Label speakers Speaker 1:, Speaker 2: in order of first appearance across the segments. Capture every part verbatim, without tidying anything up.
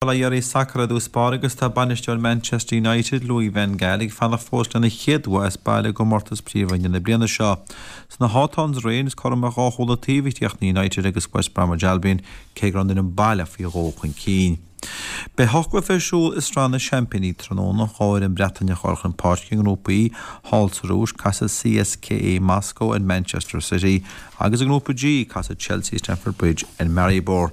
Speaker 1: A iarraidh sacair i dtús báire agus tá bainisteoir Manchester United, Louis van Gaal, ag fanacht fós lena chéad bhua as baile i gcomórtas Príomhroinne na bliana seo. Sna Hawthorns aréir is cothrom ar dhá chúl an taobh a chríochnaigh United agus West Bromwich Albion, cé go raibh an fhoireann baile faoi dhó chun cinn. Beidh ocht gcluiche ar siúl i Sraith na Seaimpíní tráthnóna, dhá fhoireann Breataineach a dhul chun páirce i nGrúpa E, thall sa Rúis, casfaidh C S K A Moscow ar Manchester City agus i nGrúpa G, casfaidh Chelsea Stamford Bridge ar Maribor.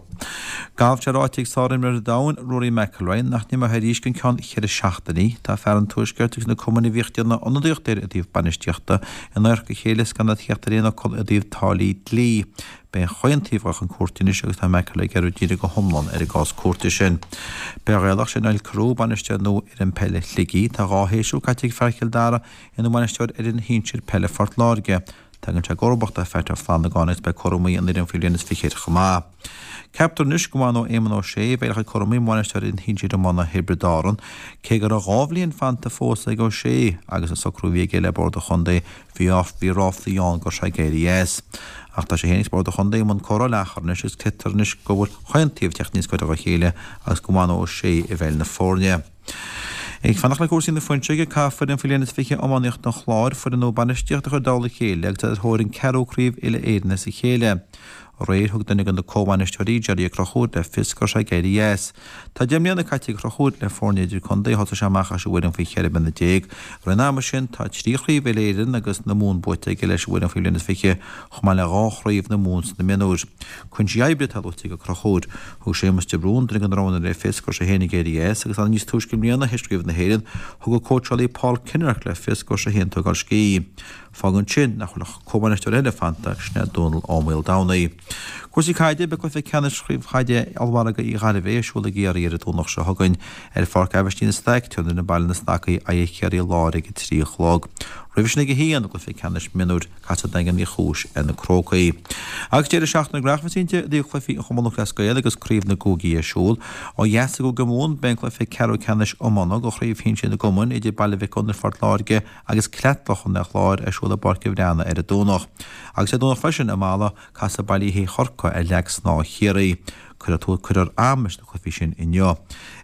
Speaker 1: Galf. Tá ráite ag sárimreoir an domhain, Rory McIlroy, nach n-imreoidh arís go ceann ceithre seachtainí. Tá fear an Tuaiscirt agus na cumainn a bhíodh ag déanamh ionadaíocht air i dtaobh bainistíochta in adharca a chéile is gan iad theacht ar aon fhocal i dtaobh táillí dlí. Beidh an chaontaobh a chun cúirte anois agus tá McIlroy ag iarraidh díriú go hiomlán ar an gcás cúirte sin. Beidh Gaelach sé Niall Carew, bainisteoir nua fhoireann peile Shligigh. Tá dhá shéasúr caite ag fear Chill Dara ina bhainisteoir ar fhoireann shinsir peile Phort Láirge. Tagann sé i gcomharbacht ar Phat Ó Flannagáin agus beidh cúramaí an fhoireann faoi bhliain is fiche air chomh maith. Ceaptar anois go bhfanfaidh Éamon Ó Sé, a bheidh le cúramaí bainisteoir fhoireann shinsir iomána Thiobraid Árann, cé go raibh dhá bhliain fanta fós ag Ó Sé agus an socrú a bhí aige le bord an chontae bhí bhí ráflaí ann go raibh sé ag éirí as. Ach tá sé féin agus bord an chontae i mbun comhrá leathchor anois agus creidtear anois go bhfuil chaon taobh ag teacht níos gaire dá chéile agus go bhfanfaidh Ó Sé i bhfeighil na foirne. Ag fanacht le cúrsaí na fuinseoige, caithfidh foireann faoi bhliain is fiche iománaíocht an Chláir foireann nua bainistíochta a chur i dtoll a chéile agus ar thóir an ceathrú craobh uile Éireann as a chéile. Aréir thug duine de na comhbhainisteoirí Jerry Ó Conchúir le fios go raibh sé ag éirí as. Tá deich mbliana caite ag Ó Conchúir le foirne idirchontae, thosaigh sé amach as an bhfoireann faoi cheithre bliana déag. Roimh an ama sin tá trí chraobh uile Éireann agus na Mumhan buaite aige leis an bhfoireann faoi bhliain is fiche chomh maith le dhá chraobh na Mumhan sna mionúir. Cúinsí oibre atá luaite ag Ó Conchúir. Thug Séamus de Brún duine de na roghanna le fios go raibh sé féin ag éirí as agus níos túisce i mbliana théis craobh na hÉireann thug an cóitseálaí Paul Kinnerk le fios go raibh sé féin ag tógáil scíth. Fágann sin nach bhfuil ach comhbhainisteoir eile fanta sin é Dónal Ó Maoldomhnaigh. Cúrsaí caide. Beidh cluiche ceannais chraobh chaide ollmhargadh Uí Ghairbhé ar siúl i gCiarraí ar an Domhnach seo chugainn ar Pháirc Aibhistín Staic. Tabharfaidh Baile na Snacaí aghaidh ar Chiarraí Láir ag a trí a chlog. Roimhe sin ag a haon, cluiche ceannais mionúir, casfaidh Daingean Uí Chúis ar na Crócaigh. Agus deireadh seachtaine gnóthach cinnte i dtaobh cluichí an Chumann Lúthchleas Gael agus craobh na gcúigí ar siúl. Ó dheas i gCúige Mumhan beidh an cluiche ceathrú ceannais iomána do chraobh shinsir na gcumann idir Baile Mhic Gonair Phort Láirge agus Cleatlach an Chláir ar siúl i bPáirc an Bhreathnaigh ar an Domhnach. Agus ar Domhnach freisin i Mala casfaidh Baile Uí Chorca ar Leac Snámha Chiarraí. Cuirfear cuirfear am leis na cluichí sin inniu.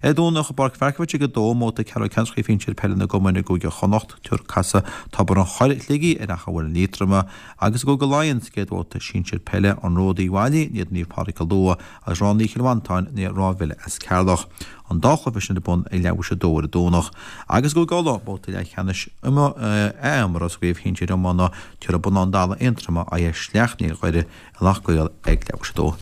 Speaker 1: Ar Domhnach i bPáirc Mharkievicz ag a dó, mbabhta ceathrú ceannais chraobh shinsir peile na gcumann i gCúige Chonnacht, tabharfaidh casfaidh Tobar an Choire Shligigh ar Achadh Mhuilinn Liatroma agus i gCúige Laighean sa gcéad bhabhta sinsir peile an Ród Uíbh Fhailí in éadan Naomh Pádraig Cill Dua agus Ráth Naoi Chill Mhantáin in éadan Ráth Bhile as Ceatharlach. An dá chluiche sin ar bun ag leathuair tar éis a dó ar an Domhnach. Agus i gCúige Uladh, babhta leathcheannais imeartha sa gcraobh shinsir iomána, tabharfaidh Bonnán Dalla Aontroma aghaidh ar Shleacht Néill Dhoire i Loch gCaol ag leathuair tar éis a dó.